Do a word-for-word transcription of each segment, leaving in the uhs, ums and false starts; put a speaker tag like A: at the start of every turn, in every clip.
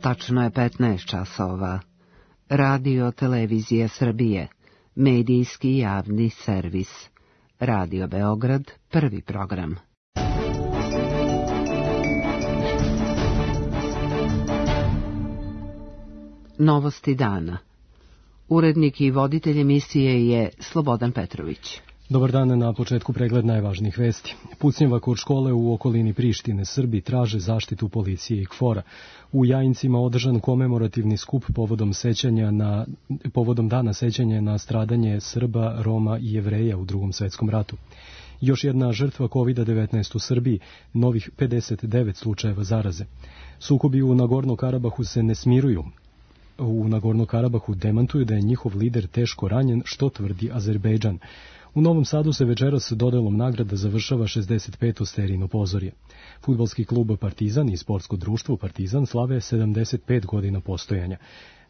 A: Tačno je petnaest časova. Radio Televizija Srbije, medijski javni servis. Radio Beograd, prvi program. Novosti dana. Urednik i voditelj emisije je Slobodan Petrović.
B: Dobar dan, na početku pregled najvažnijih vesti. Pucnjava kod škole u okolini Prištine. Srbi traže zaštitu policije i KFOR-a. U Jajincima održan komemorativni skup povodom sećanja na povodom dana sećanja na stradanje Srba, Roma i Jevreja u Drugom svetskom ratu. Još jedna žrtva kovid devetnaest u Srbiji, novih pedeset devet slučajeva zaraze. Sukobi u Nagorno-Karabahu se ne smiruju. U Nagorno-Karabahu demantuju da je njihov lider teško ranjen, što tvrdi Azerbejdžan. U Novom Sadu se večeras dodelom nagrada završava šezdeset peto serijno pozorje. Fudbalski klub Partizan i sportsko društvo Partizan slave sedamdeset pet godina postojanja.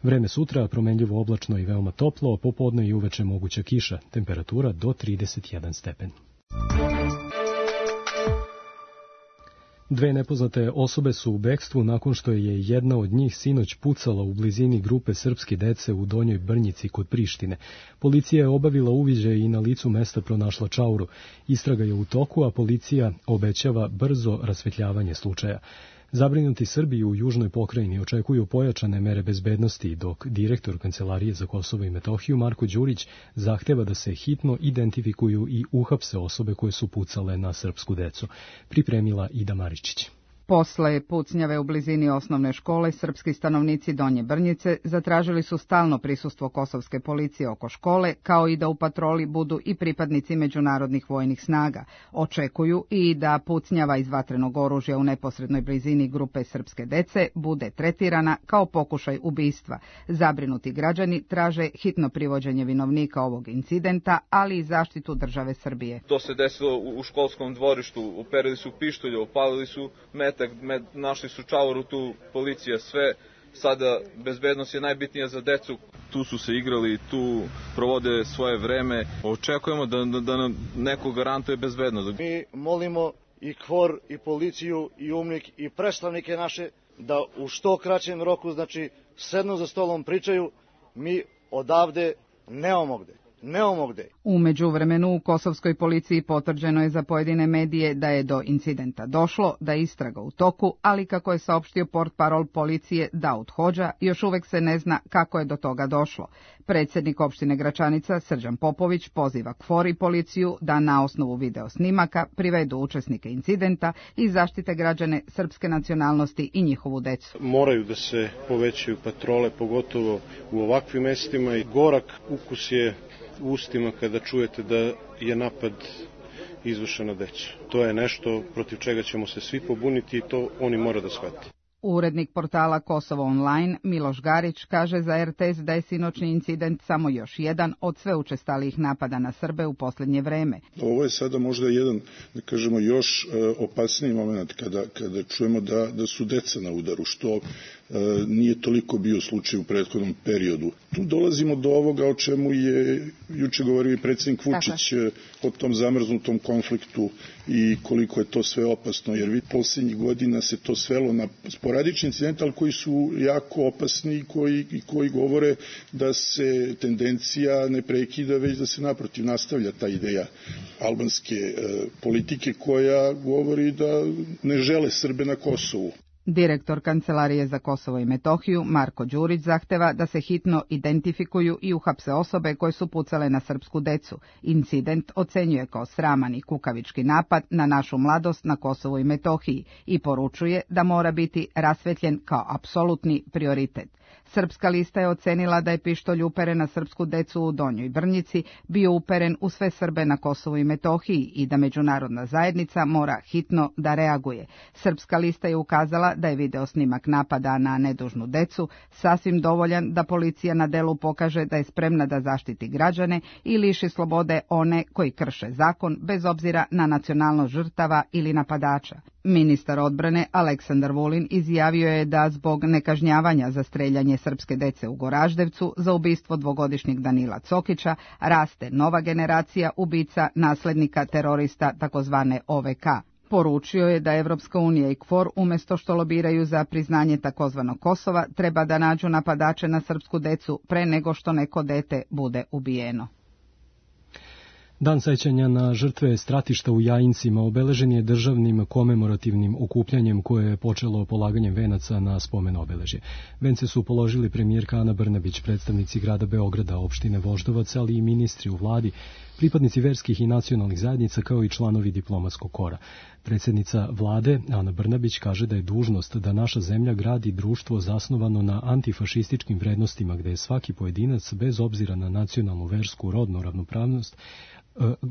B: Vreme sutra promenljivo oblačno i veoma toplo, popodne i uveče moguća kiša, temperatura do trideset jedan stepen. Dve nepoznate osobe su u bekstvu nakon što je jedna od njih sinoć pucala u blizini grupe srpske dece u Donjoj Brnjici kod Prištine. Policija je obavila uviđaj i na licu mesta pronašla čauru. Istraga je u toku, a policija obećava brzo rasvetljavanje slučaja. Zabrinuti Srbi u južnoj pokrajini očekuju pojačane mere bezbednosti, dok direktor Kancelarije za Kosovo i Metohiju Marko Đurić zahteva da se hitno identifikuju i uhapse osobe koje su pucale na srpsku decu. Pripremila Ida Maričić.
C: Posle pucnjave u blizini osnovne škole, srpski stanovnici Donje Brnjice zatražili su stalno prisustvo kosovske policije oko škole, kao i da u patroli budu i pripadnici međunarodnih vojnih snaga. Očekuju i da pucnjava iz vatrenog oružja u neposrednoj blizini grupe srpske dece bude tretirana kao pokušaj ubistva. Zabrinuti građani traže hitno privođenje vinovnika ovog incidenta, ali i zaštitu države Srbije.
D: To se desilo u školskom dvorištu, uperili su pištolje, opalili su met Med, našli su čauru tu, policija, sve. Sada bezbednost je najbitnija za decu. Tu su se igrali, tu provode svoje vreme. Očekujemo da, da, da nam neko garantuje bezbednost.
E: Mi molimo i KFOR, i policiju, i UMNIK, i predstavnike naše da u što kraćem roku, znači, sednu za stolom, pričaju. Mi odavde nemamo gde. Nemamo gde.
C: U međuvremenu u kosovskoj policiji potvrđeno je za pojedine medije da je do incidenta došlo, da je istraga u toku, ali kako je saopštio portparol policije Daud Hodža, još uvek se ne zna kako je do toga došlo. Predsjednik opštine Gračanica Srđan Popović poziva KFOR i policiju da na osnovu video snimaka privedu učesnike incidenta i zaštite građane srpske nacionalnosti i njihovu decu.
F: Moraju da se povećaju patrole, pogotovo u ovakvim mestima, i gorak ukus je u ustima kada čujete da je napad izvršen na decu. To je nešto protiv čega ćemo se svi pobuniti i to oni mora da shvati.
C: Urednik portala Kosovo Online Miloš Garić kaže za er te es da je sinoćni incident samo još jedan od sve učestalijih napada na Srbe u posljednje vreme.
G: Ovo je sada možda jedan, da kažemo, još opasniji moment kada, kada čujemo da, da su deca na udaru, što nije toliko bio slučaj u prethodnom periodu. Tu dolazimo do ovoga o čemu je juče govorio i predsjednik Vučić o tom zamrznutom konfliktu i koliko je to sve opasno, jer vid posljednjih godina se to svelo na sporadični incident, ali koji su jako opasni i koji, i koji govore da se tendencija ne prekida, već da se naprotiv nastavlja ta ideja albanske e, politike koja govori da ne žele Srbe na Kosovu.
C: Direktor Kancelarije za Kosovo i Metohiju Marko Đurić zahteva da se hitno identifikuju i uhapse osobe koje su pucale na srpsku decu. Incident ocenjuje kao sraman i kukavički napad na našu mladost na Kosovu i Metohiji i poručuje da mora biti rasvetljen kao apsolutni prioritet. Srpska lista je ocenila da je pištolj uperen na srpsku decu u Donjoj Brnjici bio uperen u sve Srbe na Kosovu i Metohiji i da međunarodna zajednica mora hitno da reaguje. Srpska lista je ukazala da je video snimak napada na nedužnu decu sasvim dovoljan da policija na delu pokaže da je spremna da zaštiti građane i liši slobode one koji krše zakon bez obzira na nacionalnost žrtava ili napadača. Ministar odbrane Aleksandar Vulin izjavio je da zbog nekažnjavanja za streljanje srpske dece u Goraždevcu za ubistvo dvogodišnjeg Danila Cokića raste nova generacija ubica naslednika terorista takozvane o ve ka. Poručio je da Evropska unija i KFOR umjesto što lobiraju za priznanje takozvanog Kosova treba da nađu napadače na srpsku decu pre nego što neko dete bude ubijeno.
B: Dan sećanja na žrtve stratišta u Jajincima obeležen je državnim komemorativnim okupljanjem koje je počelo polaganjem venaca na spomen obeležje. Vence su položili premijerka Ana Brnabić, predstavnici grada Beograda, opštine Voždovac, ali i ministri u vladi, pripadnici verskih i nacionalnih zajednica kao i članovi diplomatskog kora. Predsjednica vlade Ana Brnabić kaže da je dužnost da naša zemlja gradi društvo zasnovano na antifašističkim vrednostima gde je svaki pojedinac bez obzira na nacionalnu, versku, rodnu ravnopravnost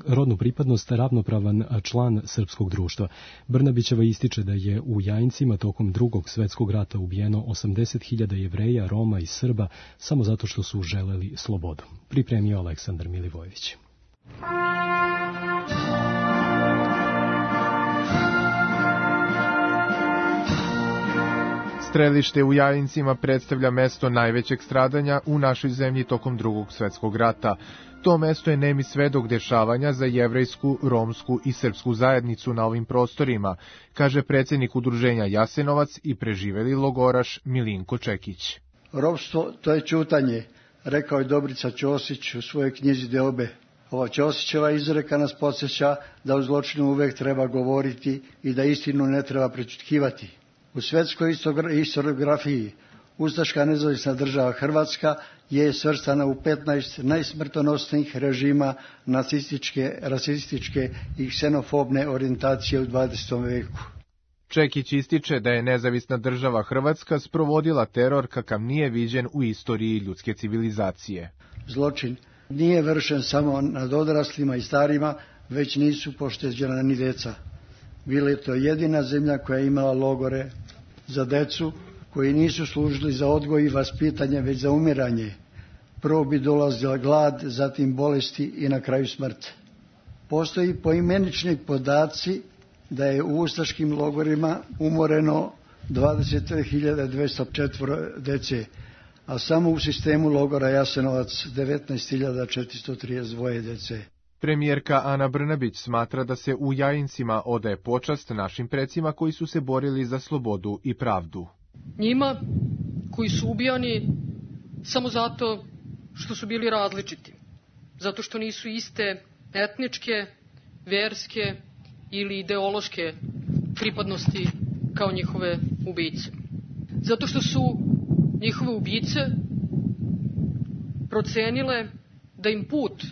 B: rodnu pripadnost ravnopravan član srpskog društva. Brnabićeva ističe da je u Jajincima tokom drugog svetskog rata ubijeno osamdeset hiljada Jevreja, Roma i Srba samo zato što su želeli slobodu. Pripremio Aleksandar Milivojević.
H: Strelište u Jajincima predstavlja mesto najvećeg stradanja u našoj zemlji tokom drugog svetskog rata. To mesto je nemi svedok dešavanja za jevrejsku, romsku i srpsku zajednicu na ovim prostorima, kaže predsjednik udruženja Jasenovac i preživeli logoraš Milinko Čekić.
I: Ropstvo to je ćutanje, rekao je Dobrica Ćosić u svojoj knjizi Deobe. Ova Ćosićeva izreka nas podsjeća da o zločinu uvek treba govoriti i da istinu ne treba prećutkivati. U svetskoj historiografiji ustaška nezavisna država Hrvatska je svrstana u petnaest najsmrtonosnijih režima nacističke, rasističke i ksenofobne orijentacije u dvadesetom veku.
H: Čekić ističe da je nezavisna država Hrvatska sprovodila teror kakav nije viđen u istoriji ljudske civilizacije.
I: Zločin nije vršen samo nad odraslima i starima, već nisu pošteđena ni deca. Bila je to jedina zemlja koja je imala logore za decu, koji nisu služili za odgoj i vaspitanje, već za umiranje. Prvo bi dolazila glad, zatim bolesti i na kraju smrt. Postoji poimenični podaci da je u ustaškim logorima umoreno dvadeset hiljada dvesta četiri dece, a samo u sistemu logora Jasenovac devetnaest hiljada četiristo trideset dva dece.
H: Premijerka Ana Brnabić smatra da se u Jajincima odaje počast našim precima koji su se borili za slobodu i pravdu.
J: Njima koji su ubijani samo zato što su bili različiti, zato što nisu iste etničke, verske ili ideološke pripadnosti kao njihove ubice. Zato što su njihove ubice procenile da im put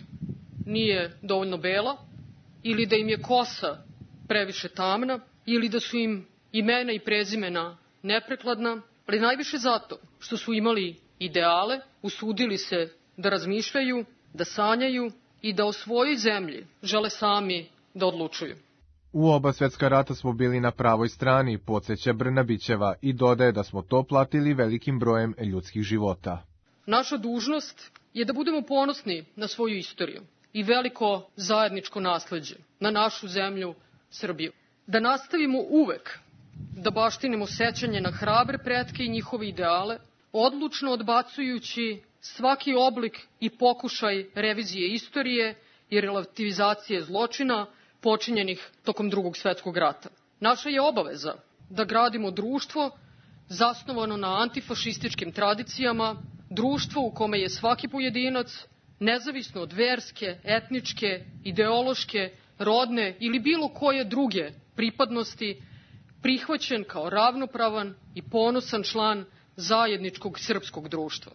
J: nije dovoljno bela ili da im je kosa previše tamna ili da su im imena i prezimena neprekladna, ali najviše zato što su imali ideale, usudili se da razmišljaju, da sanjaju i da o svojoj zemlji žele sami da odlučuju.
H: U oba svetska rata smo bili na pravoj strani, podsjeća Brnabićeva i dodaje da smo to platili velikim brojem ljudskih života.
J: Naša dužnost je da budemo ponosni na svoju istoriju i veliko zajedničko nasleđe, na našu zemlju Srbiju. Da nastavimo uvek da baštinimo sećanje na hrabre pretke i njihove ideale, odlučno odbacujući svaki oblik i pokušaj revizije istorije i relativizacije zločina počinjenih tokom drugog svetskog rata. Naša je obaveza da gradimo društvo zasnovano na antifašističkim tradicijama, društvo u kome je svaki pojedinac, nezavisno od verske, etničke, ideološke, rodne ili bilo koje druge pripadnosti, prihvaćen kao ravnopravan i ponosan član zajedničkog srpskog društva.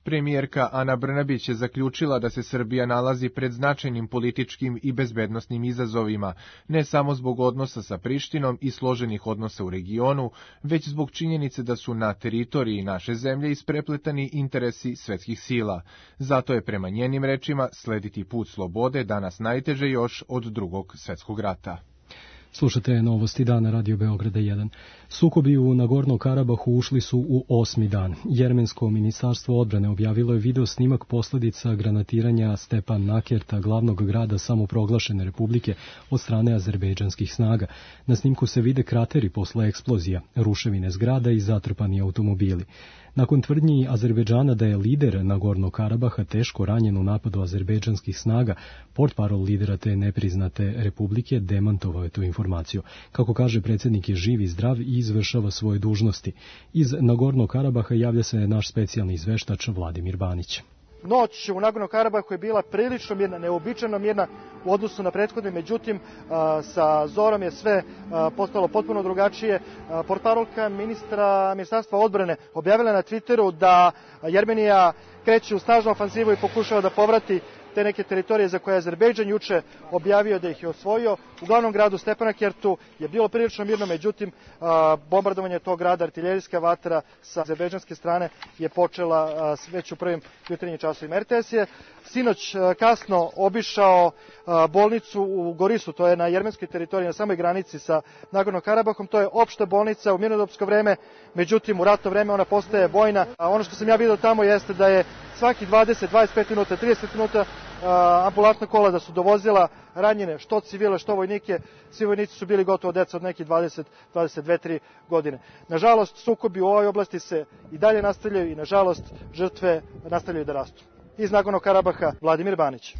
H: Premijerka Ana Brnabić je zaključila da se Srbija nalazi pred značajnim političkim i bezbednosnim izazovima, ne samo zbog odnosa sa Prištinom i složenih odnosa u regionu, već zbog činjenice da su na teritoriji naše zemlje isprepletani interesi svetskih sila. Zato je prema njenim rečima slediti put slobode danas najteže još od drugog svetskog rata.
B: Slušate novosti dana Radio Beograda jedan. Sukobi u Nagorno Karabahu ušli su u osmi dan. Jermensko ministarstvo odbrane objavilo je video snimak posljedica granatiranja Stepan Nakerta, glavnog grada samoproglašene republike, od strane azerbejdžanskih snaga. Na snimku se vide krateri posle eksplozija, ruševine zgrada i zatrpani automobili. Nakon tvrdnji Azerbejdžana da je lider Nagorno Karabaha teško ranjen u napadu azerbejdžanskih snaga, portparol lidera te nepriznate republike demantovao je tu informaciju. informaciju. Kako kaže, predsjednik je živ i zdrav i izvršava svoje dužnosti. Iz Nagornog Karabaha javlja se naš specijalni izveštač Vladimir Banić.
K: Noć u Nagornom Karabahu je bila prilično mirna, neobičajno mirna u odnosu na prethodne, međutim sa zorom je sve postalo potpuno drugačije. Portparolka ministra ministarstva odbrane objavila na Twitteru da Jermenija kreće u snažnu ofanzivu i pokušava da povrati te neke teritorije za koje je Azerbejdžan juče objavio da ih je osvojio. U glavnom gradu Stepanakertu je bilo prilično mirno, međutim bombardovanje tog grada, artiljerijska vatra sa azerbejdžanske strane je počela već u prvim jutarnjim časovima. R T S je sinoć kasno obišao bolnicu u Gorisu, to je na jermenskoj teritoriji, na samoj granici sa Nagorno Karabahom. To je opšta bolnica u mirnodopsko vreme, međutim u ratno vreme ona postaje vojna. Ono što sam ja vidio tamo jeste da je svaki dvadeset, dvadeset pet minuta, trideset minuta ambulantna kola da su dovozila ranjene, što civile, što vojnike. Svi vojnici su bili gotovo deca od nekih dvadeset, dvadeset dve, tri godine. Nažalost, sukobi u ovoj oblasti se i dalje nastavljaju i nažalost žrtve nastavljaju da rastu. Iz Nagornog Karabaha, Vladimir Banić.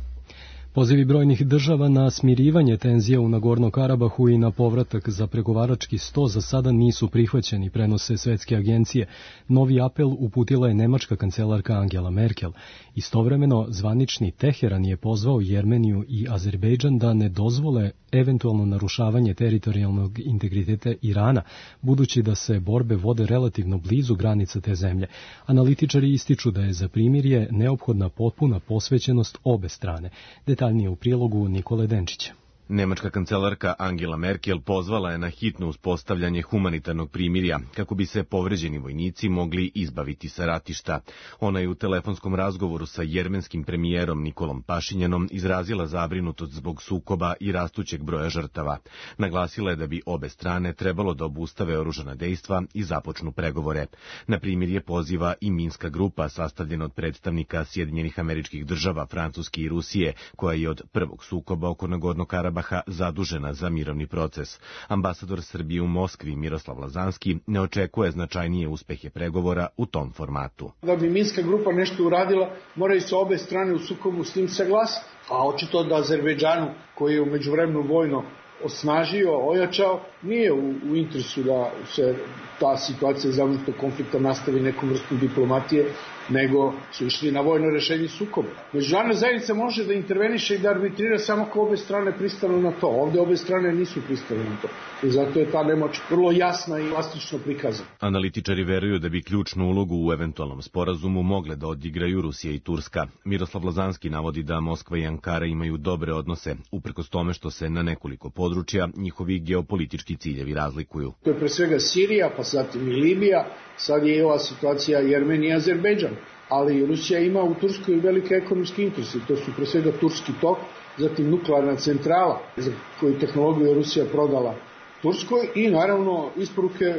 B: Pozivi brojnih država na smirivanje tenzija u Nagornom Karabahu i na povratak za pregovarački sto za sada nisu prihvaćeni, prenose svetske agencije. Novi apel uputila je nemačka kancelarka Angela Merkel. Istovremeno, zvanični Teheran je pozvao Jermeniju i Azerbejdžan da ne dozvole eventualno narušavanje teritorijalnog integriteta Irana, budući da se borbe vode relativno blizu granica te zemlje. Analitičari ističu da je za primirje neophodna potpuna posvećenost obe strane. Detaljnije u prilogu Nikole Denčića.
L: Nemačka kancelarka Angela Merkel pozvala je na hitno uspostavljanje humanitarnog primirja kako bi se povređeni vojnici mogli izbaviti sa ratišta. Ona je u telefonskom razgovoru sa jermenskim premijerom Nikolom Pašinjanom izrazila zabrinutost zbog sukoba i rastućeg broja žrtava. Naglasila je da bi obe strane trebalo da obustave oružana dejstva i započnu pregovore. Na primirje poziva i Minska grupa sastavljena od predstavnika Sjedinjenih Američkih Država, Francuske i Rusije, koja je od prvog sukoba oko Nagornog Karabaha zadužena za mirovni proces. Ambasador Srbije u Moskvi Miroslav Lazanski ne očekuje značajnije uspehe pregovora u tom formatu.
M: Da bi Minska grupa nešto uradila, moraju se obe strane u sukobu s tim saglasiti. A očito da Azerbejdžanu, koji je u međuvremenu vojno osnažio, ojačao, nije u, u interesu da se ta situacija zamrznutog konflikta nastavi nekom vrstom diplomatije, nego su išli na vojno rešenje sukoba. Međunarodna zajednica može da interveniše i da arbitrira samo ako obe strane pristanu na to. Ovde obe strane nisu pristane na to. I zato je ta nemoć vrlo jasna i plastično prikazana.
L: Analitičari veruju da bi ključnu ulogu u eventualnom sporazumu mogle da odigraju Rusija i Turska. Miroslav Lazanski navodi da Moskva i Ankara imaju dobre odnose, uprkos tome što se na nekoliko područja njihovi geopolitički ciljevi razlikuju.
M: To je pre svega Sirija, pa zatim i Libija, sad je i ova situacija Jermenija i Azerbejdžan, ali Rusija ima u Turskoj velike ekonomske interese, to su pre svega Turski tok, zatim nuklearna centrala za koju tehnologiju je Rusija prodala Turskoj i naravno isporuke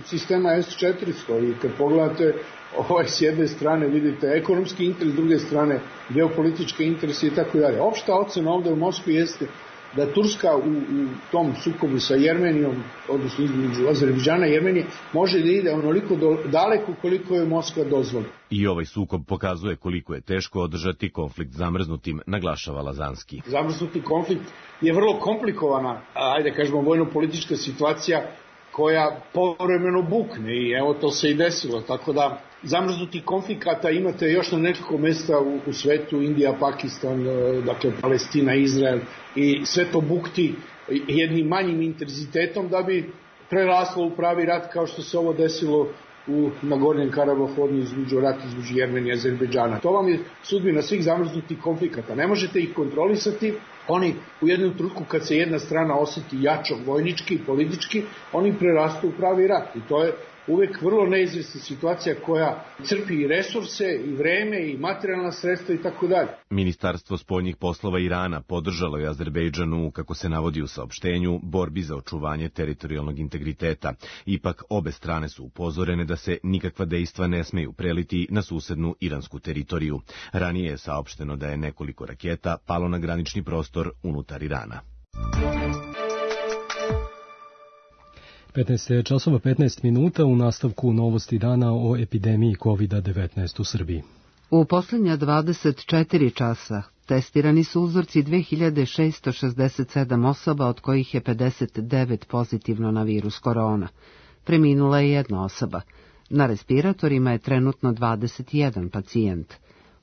M: sistema S četiristo i kad pogledate ovaj s jedne strane vidite ekonomski interes, s druge strane geopolitičke interese i tako dalje. Opšta ocena ovde u Moskvi jeste da Turska u, u tom sukobu sa Jermenijom, odnosno između Azerbejdžana i Jermenije, može da ide onoliko do, daleko koliko je Moskva dozvoli.
L: I ovaj sukob pokazuje koliko je teško održati konflikt zamrznutim, naglašava Lazanski.
M: Zamrznuti konflikt je vrlo komplikovana, ajde kažemo, vojno-politička situacija koja povremeno bukne i evo to se i desilo, tako da zamrznuti konflikata imate još na nekoliko mesta u, u svetu, Indija, Pakistan, dakle Palestina, Izrael i sve to bukti jednim manjim intenzitetom da bi preraslo u pravi rat kao što se ovo desilo u Nagornjem Karabahu, između rata između Jermenije i Azerbejdžana. To vam je sudbina svih zamrznutih konflikata. Ne možete ih kontrolisati. Oni u jednom trenutku kad se jedna strana oseti jačo vojnički i politički, oni prerastu u pravi rat. I to je uvek vrlo neizvesna situacija koja crpi i resurse, i vreme, i materijalna sredstva i tako dalje.
L: Ministarstvo spoljnih poslova Irana podržalo je Azerbejdžanu, kako se navodi u saopštenju, borbi za očuvanje teritorijalnog integriteta. Ipak obe strane su upozorene da se nikakva dejstva ne smeju preliti na susednu iransku teritoriju. Ranije je saopšteno da je nekoliko raketa palo na granični prostor unutar Irana.
B: petnaest časova petnaest minuta u nastavku novosti dana o epidemiji kovid devetnaest u Srbiji.
A: U posljednja dvadeset četiri časa Testirani su uzorci dve hiljade šesto šezdeset sedam osoba, od kojih je pedeset devet pozitivno na virus korona. Preminula je jedna osoba. Na respiratorima je trenutno dvadeset jedan pacijent.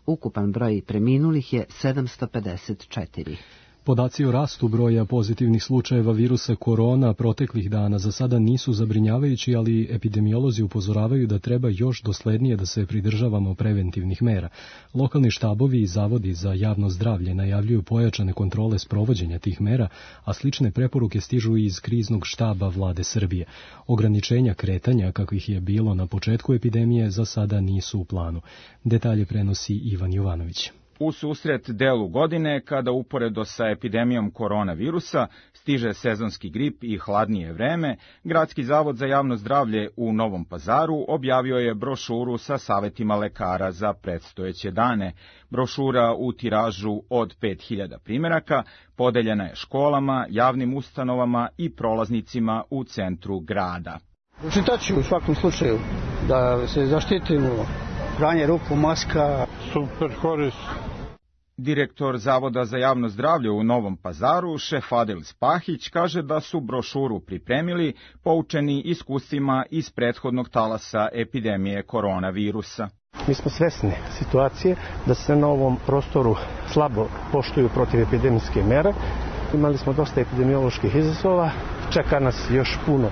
A: Ukupan broj preminulih je sedamsto pedeset četiri.
B: Podaci o rastu broja pozitivnih slučajeva virusa korona proteklih dana za sada nisu zabrinjavajući, ali epidemiolozi upozoravaju da treba još doslednije da se pridržavamo preventivnih mera. Lokalni štabovi i zavodi za javno zdravlje najavljuju pojačane kontrole sprovođenja tih mera, a slične preporuke stižu i iz kriznog štaba vlade Srbije. Ograničenja kretanja, kakvih je bilo na početku epidemije, za sada nisu u planu. Detalje prenosi Ivan Jovanović.
N: U susret delu godine, kada uporedo sa epidemijom koronavirusa stiže sezonski grip i hladnije vreme, Gradski zavod za javno zdravlje u Novom Pazaru objavio je brošuru sa savetima lekara za predstojeće dane. Brošura u tiražu od pet hiljada primjeraka podeljena je školama, javnim ustanovama i prolaznicima u centru grada.
O: Pročitaću u svakom slučaju da se zaštitimo, pranje ruku, maska.
N: Super koris. Direktor Zavoda za javno zdravlje u Novom Pazaru, šef Adel Spahić, kaže da su brošuru pripremili poučeni iskustvima iz prethodnog talasa epidemije koronavirusa.
P: Mi smo svesni situacije da se na ovom prostoru slabo poštuju protivepidemijske mere. Imali smo dosta epidemioloških izazova, čeka nas još puno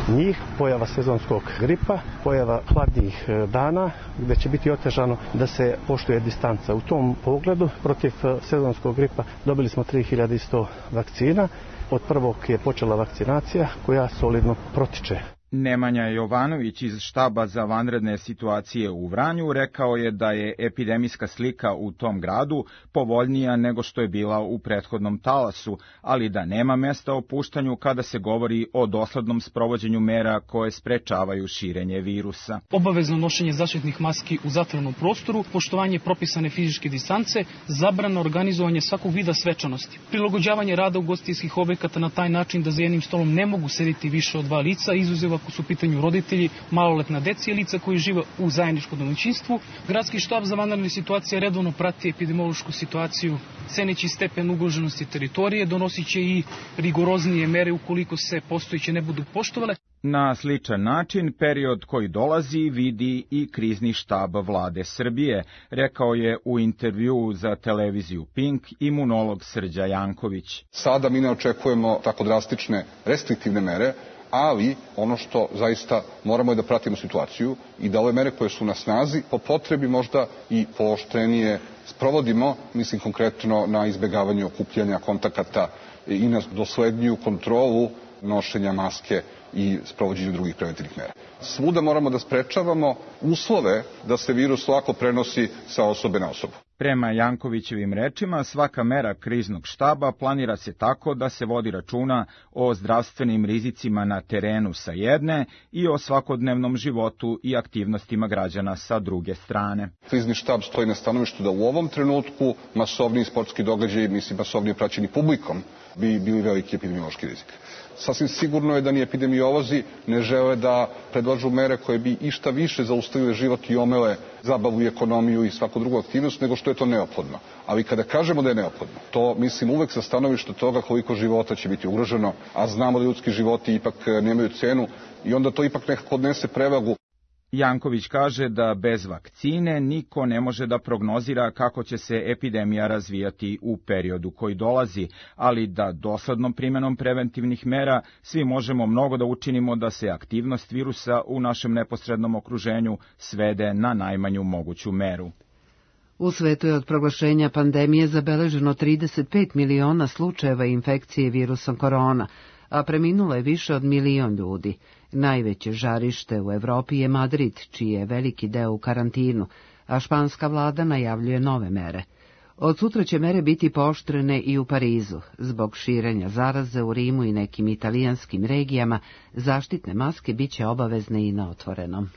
P: njih, pojava sezonskog gripa, pojava hladnijih dana, gde će biti otežano da se poštuje distanca. U tom pogledu, protiv sezonskog gripa dobili smo tri hiljade sto vakcina. Od prvog je počela vakcinacija koja solidno protiče.
N: Nemanja Jovanović iz štaba za vanredne situacije u Vranju rekao je da je epidemijska slika u tom gradu povoljnija nego što je bila u prethodnom talasu, ali da nema mesta opuštanju kada se govori o doslednom sprovođenju mera koje sprečavaju širenje virusa.
Q: Obavezno nošenje zaštitnih maski u zatvorenom prostoru, poštovanje propisane fizičke distance, zabrana organizovanje svakog vida svečanosti, prilagođavanje rada ugostiteljskih objekata na taj način da za jednim stolom ne mogu sediti više od dva lica, izuzev ako su u pitanju roditelji, maloletna deca i lica koji žive u zajedničkom domaćinstvu. Gradski štab za vanredne situacije redovno prati epidemiološku situaciju, ceneći stepen ugroženosti teritorije, donosit će i rigoroznije mere ukoliko se postojeće ne budu poštovale.
N: Na sličan način, period koji dolazi vidi i krizni štab vlade Srbije, rekao je u intervjuu za televiziju Pink imunolog Srđa Janković.
R: Sada mi ne očekujemo tako drastične restriktivne mere, ali ono što zaista moramo je da pratimo situaciju i da ove mere koje su na snazi po potrebi možda i pooštrenije sprovodimo, mislim konkretno na izbjegavanje okupljanja kontakata i na dosledniju kontrolu nošenja maske i sprovođenju drugih preventivnih mera. Svuda moramo da sprečavamo uslove da se virus lako prenosi sa osobe na osobu.
N: Prema Jankovićevim rečima, svaka mera kriznog štaba planira se tako da se vodi računa o zdravstvenim rizicima na terenu sa jedne i o svakodnevnom životu i aktivnostima građana sa druge strane.
R: Krizni štab stoji na stanovištu da u ovom trenutku masovni sportski događaji, mislim masovnije praćeni publikom, bi bili veliki epidemiološki rizik. Sasvim sigurno je da ni epidemiolozi ne žele da predlažu mere koje bi išta više zaustavile život i omele zabavu i ekonomiju i svaku drugu aktivnost nego što je to neophodno. Ali kada kažemo da je neophodno, to mislim uvek sa stanovišta toga koliko života će biti ugroženo, a znamo da ljudski životi ipak nemaju cenu i onda to ipak nekako odnese prevagu.
N: Janković kaže da bez vakcine niko ne može da prognozira kako će se epidemija razvijati u periodu koji dolazi, ali da doslednom primjenom preventivnih mera svi možemo mnogo da učinimo da se aktivnost virusa u našem neposrednom okruženju svede na najmanju moguću meru.
A: U svetu je od proglašenja pandemije zabeleženo trideset pet miliona slučajeva infekcije virusom korona, a preminulo je više od milion ljudi. Najveće žarište u Evropi je Madrid, čiji je veliki deo u karantinu, a španska vlada najavljuje nove mere. Od sutra će mere biti pooštrene i u Parizu. Zbog širenja zaraze u Rimu i nekim italijanskim regijama, zaštitne maske biće obavezne i na otvorenom.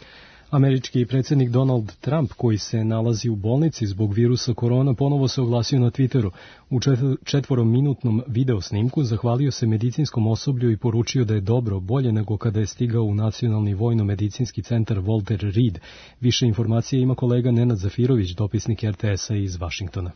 B: Američki predsjednik Donald Trump, koji se nalazi u bolnici zbog virusa korona, ponovo se oglasio na Twitteru. U četvorominutnom videosnimku zahvalio se medicinskom osoblju i poručio da je dobro, bolje nego kada je stigao u Nacionalni vojno-medicinski centar Walter Reed. Više informacije ima kolega Nenad Zafirović, dopisnik R T S-a iz Vašingtona.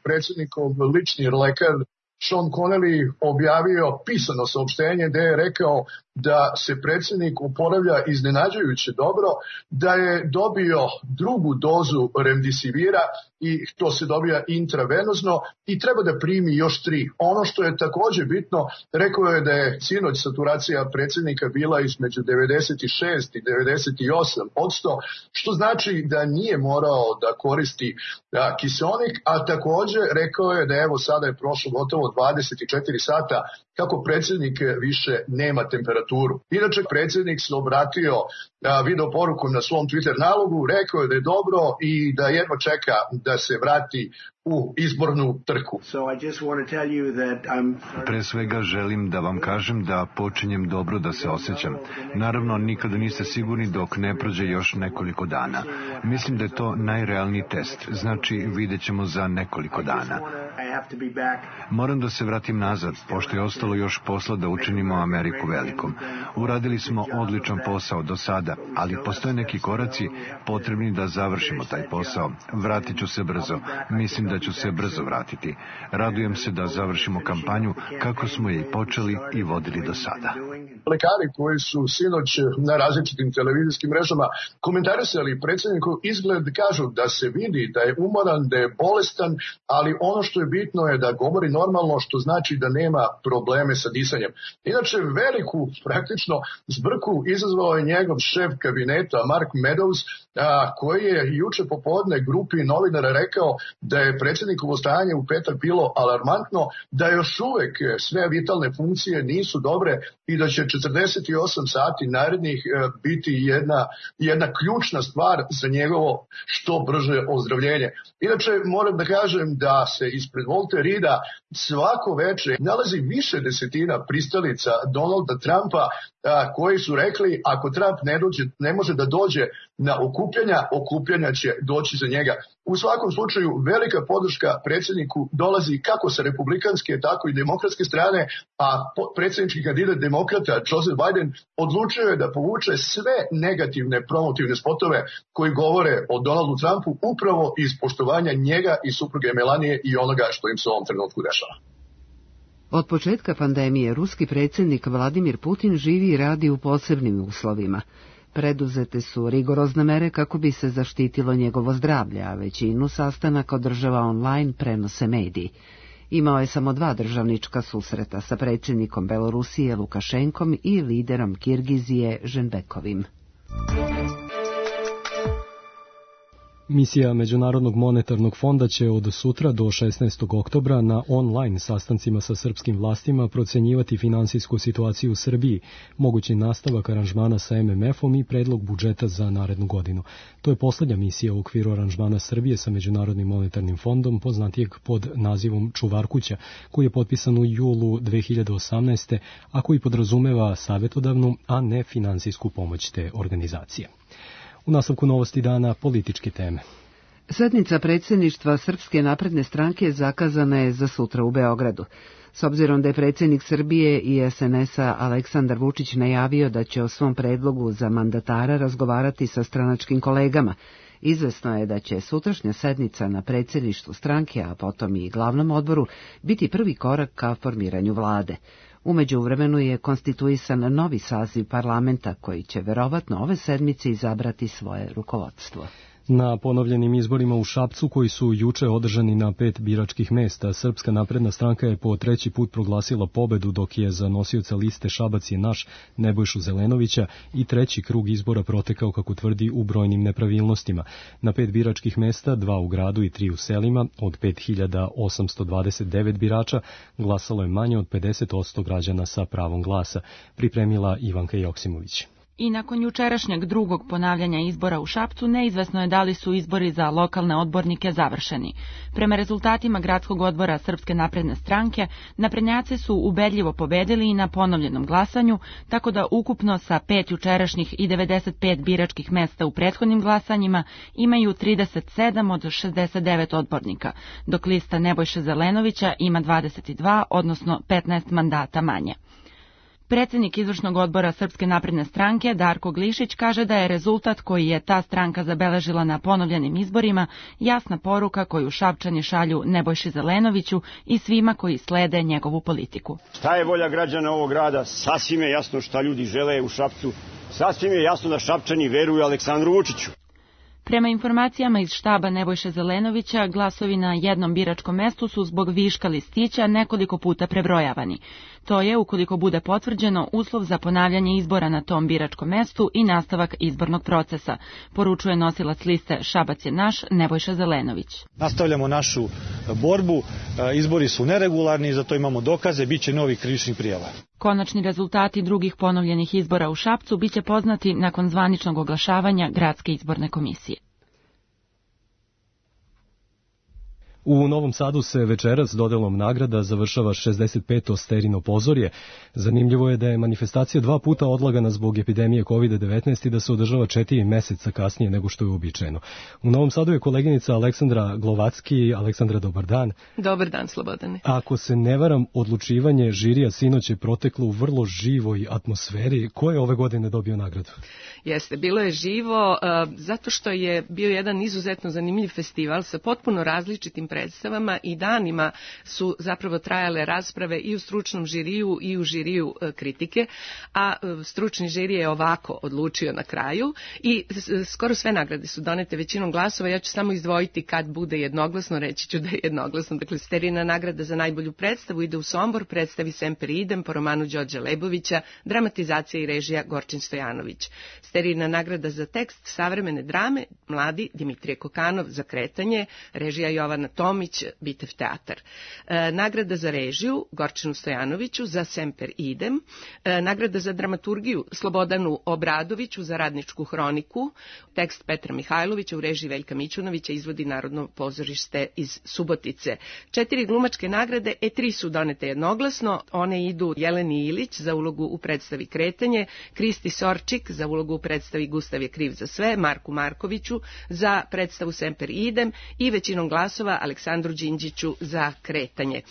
S: predsjednikov lični lekar Sean Connelly objavio pisano saopštenje gde je rekao da se predsjednik oporavlja iznenađujuće dobro, da je dobio drugu dozu remdesivira i to se dobija intravenozno i treba da primi još tri. Ono što je također bitno, rekao je da je sinoć saturacija predsjednika bila između devedeset šest i devedeset osam posto, što znači da nije morao da koristi da, kiseonik, a također rekao je da evo sada je prošlo gotovo dvadeset četiri sata kako predsjednik više nema temperaturu. Inače, predsjednik se obratio a, video poruku na svom Twitter nalogu, rekao je da je dobro i da jedva čeka da se vrati u izbornu trku.
T: Pre svega želim da vam kažem da počinjem dobro da se osjećam. Naravno, nikada niste sigurni dok ne prođe još nekoliko dana. Mislim da je to najrealniji test, znači vidjet ćemo za nekoliko dana. Moram da se vratim nazad, pošto je ostalo još posla da učinimo Ameriku velikom. Uradili smo odličan posao do sada, ali postoje neki koraci potrebni da završimo taj posao. Vratit ću se brzo. Mislim da ću se brzo vratiti. Radujem se da završimo kampanju kako smo je i počeli i vodili do sada.
S: Lekari koji su sinoć na različitim televizijskim mrežama komentarisali predsjednikov izgled, kažu da se vidi da je umoran, da je bolestan, ali ono što je bitno je da govori normalno, što znači da nema probleme sa disanjem. Inače, veliku praktično zbrku izazvao je njegov šef kabineta Mark Meadows, a, koji je juče popodne grupi novinara rekao da je predsjednikovo stanje u petak bilo alarmantno, da još uvek sve vitalne funkcije nisu dobre i da će četrdeset osam sati narednih biti jedna, jedna ključna stvar za njegovo što brže ozdravljenje. Inače, moram da kažem da se ispred Walter Reeda svako veče nalazi više desetina pristalica Donalda Trumpa a, koji su rekli ako Trump ne, dođe, ne može da dođe na okupljanja, okupljanja će doći za njega. U svakom slučaju velika podrška predsjedniku dolazi kako sa republikanske, tako i demokratske strane, a predsjednički kandidat demokrata Joseph Biden odlučio je da povuče sve negativne promotivne spotove koji govore o Donaldu Trumpu upravo iz poštovanja njega i supruge Melanije i onoga što im se u ovom trenutku dešava.
A: Od početka pandemije ruski predsjednik Vladimir Putin živi i radi u posebnim uslovima. Preduzete su rigorozne mere kako bi se zaštitilo njegovo zdravlje, a većinu sastanaka održava online, prenose mediji. Imao je samo dva državnička susreta sa predsjednikom Belorusije Lukašenkom i liderom Kirgizije Ženbekovim.
B: Misija Međunarodnog monetarnog fonda će od sutra do šesnaestog oktobra na online sastancima sa srpskim vlastima procenjivati finansijsku situaciju u Srbiji, mogući nastavak aranžmana sa em em efom i predlog budžeta za narednu godinu. To je poslednja misija u okviru aranžmana Srbije sa Međunarodnim monetarnim fondom, poznatijeg pod nazivom Čuvar kuća, koji je potpisan u julu dve hiljade osamnaeste. a koji podrazumeva savjetodavnu, a ne finansijsku pomoć te organizacije. U nastavku novosti dana političke teme.
A: Sednica predsjedništva Srpske napredne stranke zakazana je za sutra u Beogradu. S obzirom da je predsjednik Srbije i es en es-a Aleksandar Vučić najavio da će o svom predlogu za mandatara razgovarati sa stranačkim kolegama, izvesno je da će sutrašnja sednica na predsjedništvu stranke, a potom i glavnom odboru, biti prvi korak ka formiranju vlade. U međuvremenu je konstituisan novi saziv parlamenta koji će verovatno ove sedmice izabrati svoje rukovodstvo.
B: Na ponovljenim izborima u Šapcu, koji su juče održani na pet biračkih mesta, Srpska napredna stranka je po treći put proglasila pobedu, dok je za nosioca liste Šabac je naš Nebojšu Zelenovića i treći krug izbora protekao, kako tvrdi, u brojnim nepravilnostima. Na pet biračkih mesta, dva u gradu i tri u selima, od pet hiljada osamsto dvadeset devet birača, glasalo je manje od pedeset posto građana sa pravom glasa, pripremila Ivanka Joksimović.
U: I nakon jučerašnjeg drugog ponavljanja izbora u Šapcu, neizvesno je da li su izbori za lokalne odbornike završeni. Prema rezultatima gradskog odbora Srpske napredne stranke, naprednjaci su ubedljivo pobedili i na ponovljenom glasanju, tako da ukupno sa pet jučerašnjih i devedeset pet biračkih mesta u prethodnim glasanjima imaju trideset sedam od šezdeset devet odbornika, dok lista Nebojše Zelenovića ima dvadeset dva, odnosno petnaest mandata manje. Predsjednik izvršnog odbora Srpske napredne stranke Darko Glišić kaže da je rezultat koji je ta stranka zabeležila na ponovljenim izborima jasna poruka koju Šapčani šalju Nebojši Zelenoviću i svima koji slede njegovu politiku.
D: Šta je volja građana ovog grada? Sasvim je jasno šta ljudi žele u Šapcu. Sasvim je jasno da Šapčani veruju Aleksandru Vučiću.
U: Prema informacijama iz štaba Nebojše Zelenovića, glasovi na jednom biračkom mestu su zbog viška listića nekoliko puta prebrojavani. To je, ukoliko bude potvrđeno, uslov za ponavljanje izbora na tom biračkom mestu i nastavak izbornog procesa, poručuje nosilac liste Šabac je naš, Nebojša Zelenović.
V: Nastavljamo našu borbu, izbori su neregularni, zato imamo dokaze, bit će novih krivičnih prijava.
U: Konačni rezultati drugih ponovljenih izbora u Šapcu biće poznati nakon zvaničnog oglašavanja Gradske izborne komisije.
B: U Novom Sadu se večeras dodelom nagrada završava šezdeset peto Sterino pozorje. Zanimljivo je da je manifestacija dva puta odlagana zbog epidemije kovid devetnaest i da se održava četiri meseca kasnije nego što je uobičajeno. U Novom Sadu je koleginica Aleksandra Glovacki. Aleksandra, dobar dan.
W: Dobar dan, Slobodane.
B: Ako se ne varam, odlučivanje žirija sinoć je proteklo u vrlo živoj atmosferi. Ko je ove godine dobio nagradu?
W: Jeste, bilo je živo, uh, zato što je bio jedan izuzetno zanimljiv festival sa potpuno različitim predstavama i danima su zapravo trajale rasprave i u stručnom žiriju i u žiriju uh, kritike, a uh, stručni žiri je ovako odlučio na kraju i uh, skoro sve nagrade su donete većinom glasova. Ja ću samo izdvojiti kad bude jednoglasno, reći ću da je jednoglasno. Dakle, Sterina nagrada za najbolju predstavu ide u Sombor, predstavi Semper idem po romanu Đorđa Lebovića, dramatizacija i režija Gorčin Stojanović. Sterina nagrada za tekst savremene drame, mladi Dimitrije Kokanov za Kretanje, režija Jovana Tomić, Bitev teatar. E, nagrada za režiju Gorčinu Stojanoviću za Semper idem, e, nagrada za dramaturgiju Slobodanu Obradoviću za Radničku hroniku, tekst Petra Mihajlovića u režiji Veljka Mićunovića izvodi Narodno pozorište iz Subotice. Četiri glumačke nagrade, e tri su donete jednoglasno, one idu Jeleni Ilić za ulogu u predstavi Kretanje, Kristi Sorčik za ulogu u predstavi Gustav je kriv za sve, Marku Markoviću za predstavu Semper idem i većinom glasova Aleksandru Đinđiću za Kretanje.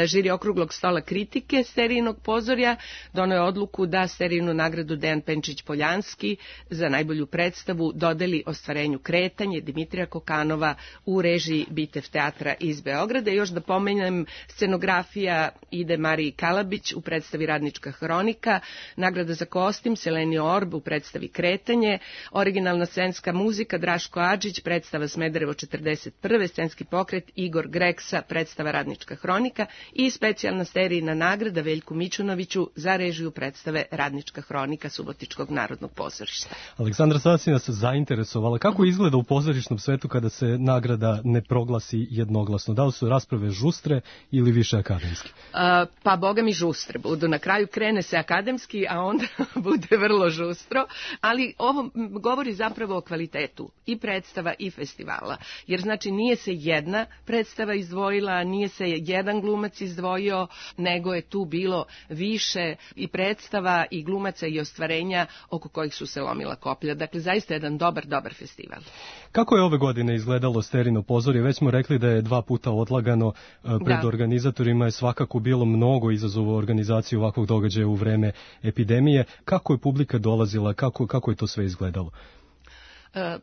W: Žiri okruglog stola kritike Sterijinog pozorja doneo je odluku da Sterijinu nagradu Dejan Penčić-Poljanski za najbolju predstavu dodeli ostvarenju Kretanje Dimitrija Kokanova u režiji Bitev teatra iz Beograda. Još da pomenem, scenografija ide Mariji Kalabić u predstavi Radnička hronika, nagrada za kostim Seleni Orb u predstavi Kretanje, originalna scenska muzika Draško Adžić, predstava Smederevo četrdeset prve, scenski pokret Igor Greksa, predstava Radnička hronika i specijalna Sterijina nagrada Veljku Mićunoviću za režiju predstave Radnička hronika Subotičkog narodnog pozorišta.
B: Aleksandra, sada si nas zainteresovala. Kako izgleda u pozorišnom svetu kada se nagrada ne proglasi jednoglasno? Da li su rasprave žustre ili više akademski?
W: A, pa boga mi žustre budu. Na kraju krene se akademski, a onda bude vrlo žustro, ali ovo govori zapravo o kvalitetu i predstava i festivala. Jer znači nije se jedna predstava izdvojila, nije se jedan glumac izdvojio, nego je tu bilo više i predstava i glumaca i ostvarenja oko kojih su se lomila koplja. Dakle, zaista jedan dobar, dobar festival.
B: Kako je ove godine izgledalo Sterino pozorje? Već smo rekli da je dva puta odlagano. Pred da. organizatorima je svakako bilo mnogo izazova u organizaciji ovakvog događaja u vreme epidemije. Kako je publika dolazila? Kako, kako je to sve izgledalo?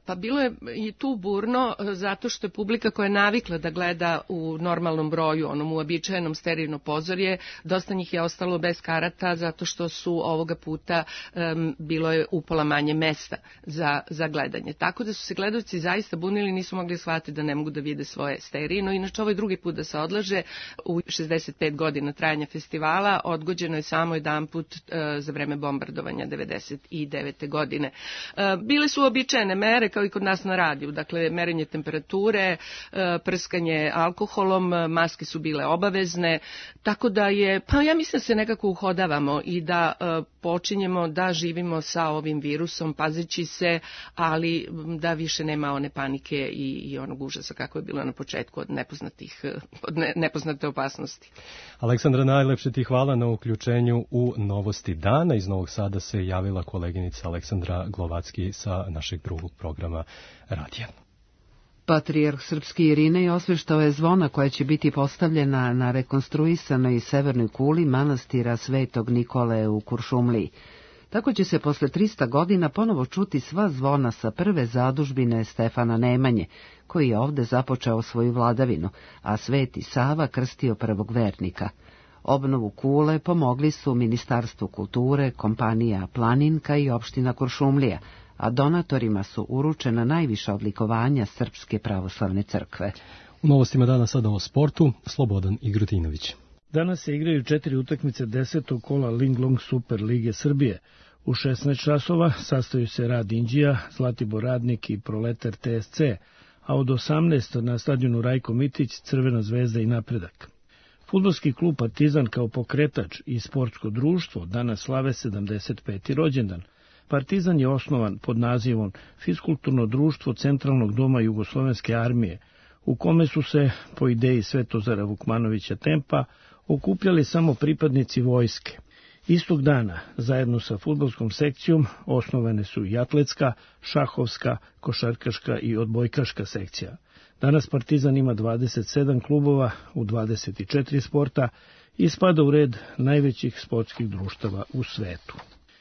W: Pa bilo je i tu burno, zato što je publika koja je navikla da gleda u normalnom broju, onom uobičajenom Sterijino pozorje, dosta njih je ostalo bez karata, zato što su ovoga puta um, bilo je upola manje mesta za, za gledanje. Tako da su se gledaoci zaista bunili, nisu mogli shvatiti da ne mogu da vide svoje Sterijino. Inače, ovo je drugi put da se odlaže. U šezdeset pet godina trajanja festivala odgođeno je samo jedan put uh, za vreme bombardovanja devedeset devete godine. Uh, bile su uobičajene mere kao i kod nas na radiju, dakle merenje temperature, prskanje alkoholom, maske su bile obavezne, tako da je, pa ja mislim da se nekako uhodavamo i da počinjemo da živimo sa ovim virusom, pazeći se, ali da više nema one panike i, i onog užasa kako je bilo na početku od nepoznatih, od ne, nepoznate opasnosti.
B: Aleksandra, najlepše ti hvala na uključenju u Novosti dana. Iz Novog Sada se javila koleginica Aleksandra Glovacki sa našeg drugog programa radija.
A: Patrijarh srpski Irinej osveštao je zvona koja će biti postavljena na rekonstruisanoj severnoj kuli manastira Svetog Nikole u Kuršumliji. Tako će se posle trista godina ponovo čuti sva zvona sa prve zadužbine Stefana Nemanje, koji je ovde započeo svoju vladavinu, a Sveti Sava krstio prvog vernika. Obnovu kule pomogli su Ministarstvo kulture, kompanija Planinka i opština Kuršumlija, a donatorima su uručena najviša odlikovanja Srpske pravoslavne crkve.
B: U novostima dana sada o sportu, Slobodan Igrutinović.
E: Danas se igraju četiri utakmice desetog kola Linglong Super Lige Srbije. U šesnaest časova sastaju se Rad Inđija, Zlatibor Radnik i Proletar T S C, a od osamnaest na stadionu Rajko Mitić, Crvena zvezda i Napredak. Fudbalski klub Partizan kao pokretač i sportsko društvo danas slave sedamdeset peti rođendan. Partizan je osnovan pod nazivom Fiskulturno društvo Centralnog doma Jugoslovenske armije, u kome su se, po ideji Svetozara Vukmanovića Tempa, okupljali samo pripadnici vojske. Istog dana, zajedno sa fudbalskom sekcijom, osnovane su i atletska, šahovska, košarkaška i odbojkaška sekcija. Danas Partizan ima dvadeset sedam klubova u dvadeset četiri sporta i spada u red najvećih sportskih društava u svetu.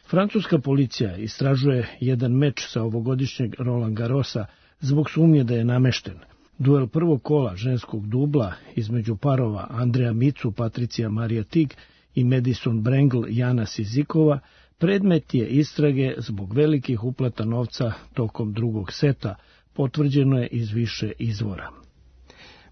E: Francuska policija istražuje jedan meč sa ovogodišnjeg Roland Garrosa zbog sumnje da je namešten. Duel prvog kola ženskog dubla između parova Andreja Micu, Patricija Marija Tig i Madison Brengl, Jana Sizikova predmet je istrage zbog velikih uplata novca tokom drugog seta, potvrđeno je iz više izvora.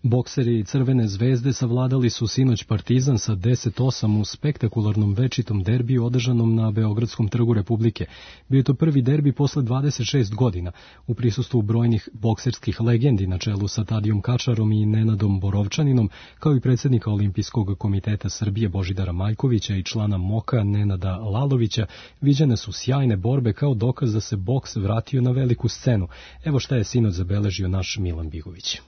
B: Bokseri Crvene zvezde savladali su sinoć Partizan sa deset osam u spektakularnom večitom derbiju održanom na Beogradskom trgu Republike. Bio je to prvi derbi posle dvadeset šest godina, u prisustvu brojnih bokserskih legendi na čelu sa Tadijom Kačarom i Nenadom Borovčaninom, kao i predsjednika Olimpijskog komiteta Srbije Božidara Majkovića i člana MOKA Nenada Lalovića. Viđene su sjajne borbe kao dokaz da se boks vratio na veliku scenu. Evo šta je sinoć zabeležio naš Milan Bigović.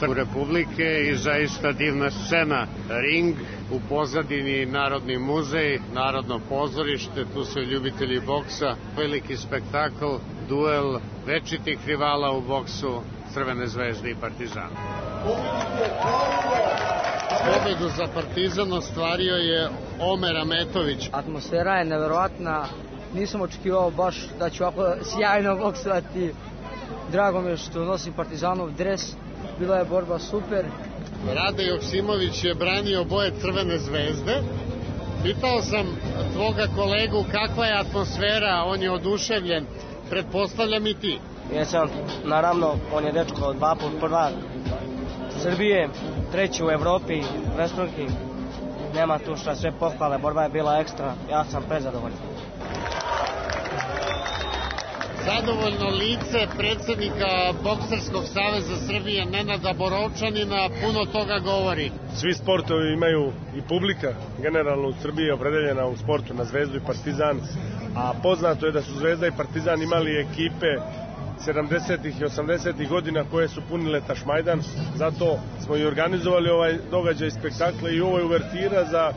F: U Republike i zaista divna scena. Ring, u pozadini Narodni muzej, Narodno pozorište, tu su ljubitelji boksa, veliki spektakl, duel večitih rivala u boksu Crvene zvezde i Partizana. Pobedu za Partizan ostvario je Omer Ametović.
G: Atmosfera je neverovatna, nisam očekivao baš da ću ovako sjajno boksovati. Drago mi je što nosim Partizanov dres. Bila je borba super.
F: Rade Joksimović je branio boje Crvene zvezde. Pitao sam tvoga kolegu kakva je atmosfera, on je oduševljen. Pretpostavljam i ti.
G: Jesam, naravno, on je dečko dva put prvak Srbije, treći u Evropi, Westbrook. Nema tu šta, sve pohvale, borba je bila ekstra, ja sam prezadovoljan.
F: Zadovoljno lice predsjednika Bokserskog saveza Srbije Nenada Borovčanina puno toga govori.
X: Svi sportovi imaju i publika, generalno u Srbiji je opredeljena u sportu na Zvezdu i Partizan, a poznato je da su Zvezda i Partizan imali ekipe sedamdesetih i osamdesetih godina koje su punile Tašmajdan, zato smo i organizovali ovaj događaj spektakle i ovo je uvertira za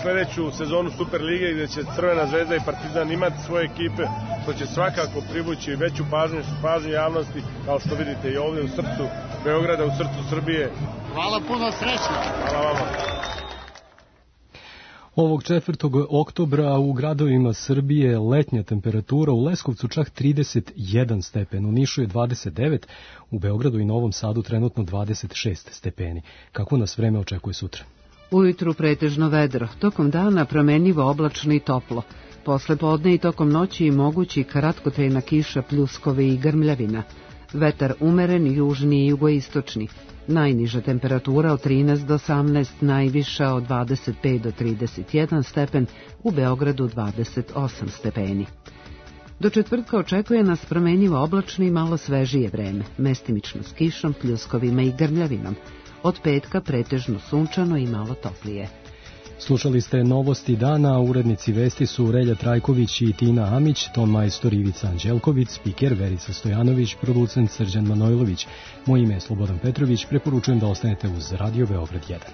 X: sledeću sezonu Super lige gde će Crvena zvezda i Partizan imati svoje ekipe, što će svakako privući veću pažnju, pažnju javnosti, kao što vidite i ovdje u srcu Beograda, u srcu Srbije.
F: Hvala puno, srećno.
X: Hvala vama.
B: Ovog četvrtog oktobra u gradovima Srbije letnja temperatura, u Leskovcu čak trideset jedan stepen, u Nišu je dvadeset devet, u Beogradu i Novom Sadu trenutno dvadeset šest stepeni. Kako nas vreme očekuje sutra?
A: Ujutru pretežno vedro, tokom dana promenljivo oblačno i toplo. Posle podne i tokom noći i mogući kratkotrajna kiša, pljuskovi i grmljavina. Vetar umeren, južni i jugoistočni. Najniža temperatura od trinaest do osamnaest, najviša od dvadeset pet do trideset jedan stepen, u Beogradu dvadeset osam stepeni. Do četvrtka očekuje nas promenljivo oblačno i malo svežije vreme, mestimično s kišom, pljuskovima i grmljavinom. Od petka pretežno sunčano i malo toplije.
B: Slušali ste novosti dana, urednici vesti su Relja Trajković i Tina Amić, ton majstor Ivica Anđelković, spiker Verica Stojanović, producent Srđan Manojlović. Moje ime je Slobodan Petrović, preporučujem da ostanete uz Radio Beograd jedan.